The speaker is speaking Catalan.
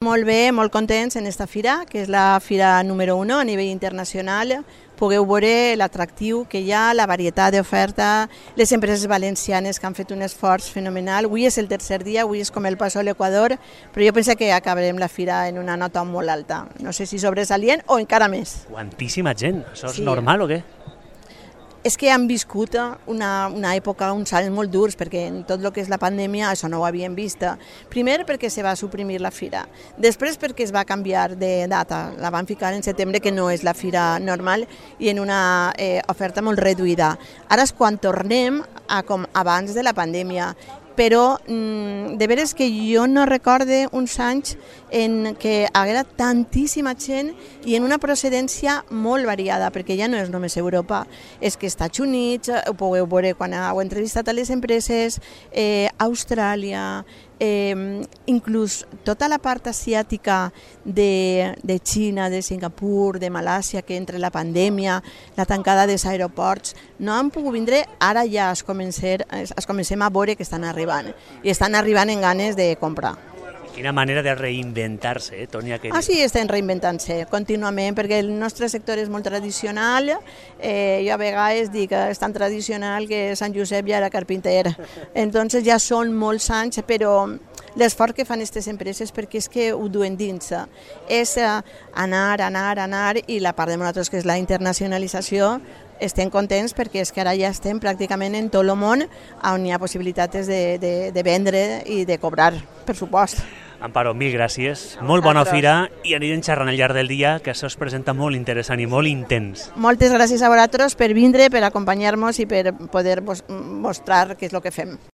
Molt bé, molt contents en esta fira, que és la fira número 1 a nivell internacional. Pugueu veure l'atractiu que hi ha, la varietat d'oferta, les empreses valencianes que han fet un esforç fenomenal. Avui és el tercer dia, avui és com el paso a l'Equador, però jo penso que acabarem la fira en una nota molt alta. No sé si sobresalient o encara més. Quantíssima gent, això és normal o què? És que han viscut una època, uns anys molt durs, perquè en tot el que és la pandèmia això no ho havíem vist. Primer perquè se va suprimir la fira, després perquè es va canviar de data, la van ficar en setembre, que no és la fira normal, i en una oferta molt reduïda. Ara és quan tornem a com abans de la pandèmia, però de veres que jo no recorde uns anys en què haguera tantíssima gent i en una procedència molt variada, perquè ja no és només Europa, és que Estats Units, ho podeu veure quan heu entrevistat a les empreses, Austràlia, inclús tota la part asiàtica de Xina, de Singapur, de Malàsia, que entre la pandèmia, la tancada dels aeroports, no han pogut vindre, ara ja es comencem a veure que estan arribant, i estan arribant en ganes de comprar. Quina manera de reinventar-se, Tònia. Sí, estem reinventant-se contínuament, perquè el nostre sector és molt tradicional. Jo a vegades dic que és tan tradicional que Sant Josep ja era carpinter. Entonces ja són molts anys, però l'esforç que fan aquestes empreses, perquè és que ho duen dins, és anar, i la part de nosaltres, que és la internacionalització, estem contents perquè és que ara ja estem pràcticament en tot el món on hi ha possibilitats de vendre i de cobrar, per supost. Amparo, mil gràcies, molt bona fira i anirem xerrant al llarg del dia, que això es presenta molt interessant i molt intens. Moltes gràcies a vosaltres per vindre, per acompanyar-nos i per poder mostrar què és el que fem.